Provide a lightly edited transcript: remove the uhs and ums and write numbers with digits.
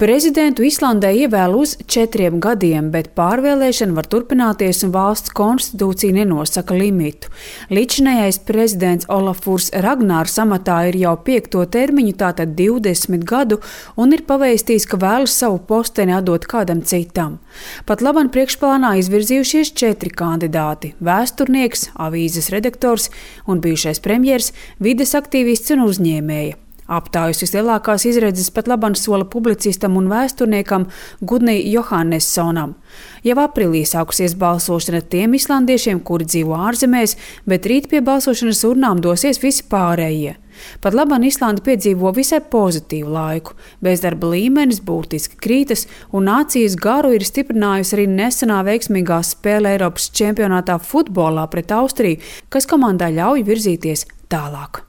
Prezidentu Islandē ievēl uz 4 gadiem, bet pārvēlēšana var turpināties un valsts konstitūcija nenosaka limitu. Līdzinējais prezidents Olafurs Ragnārs amatā ir jau 5. termiņu, tātad 20 gadu, un ir pavēstījis, ka vēlas savu posteni atdot kādam citam. Pat labam priekšplānā izvirzījušies 4 kandidāti – vēsturnieks, avīzes redaktors un bijušais premjers, vides aktīvists un uzņēmēja. Aptājas vislielākās izredzes pat labam sola publicistam un vēsturniekam Gudni Johannessonam. Jau aprīlī sākusies balsošana tiem islandiešiem, kuri dzīvo ārzemēs, bet rīt pie balsošanas urnām dosies visi pārējie. Pat labam Islanda piedzīvo visai pozitīvu laiku. Bezdarba līmenis būtiski krītas un nācijas garu ir stiprinājusi arī nesenā veiksmīgā spēle Eiropas čempionātā futbolā pret Austriju, kas komandai ļauj virzīties tālāk.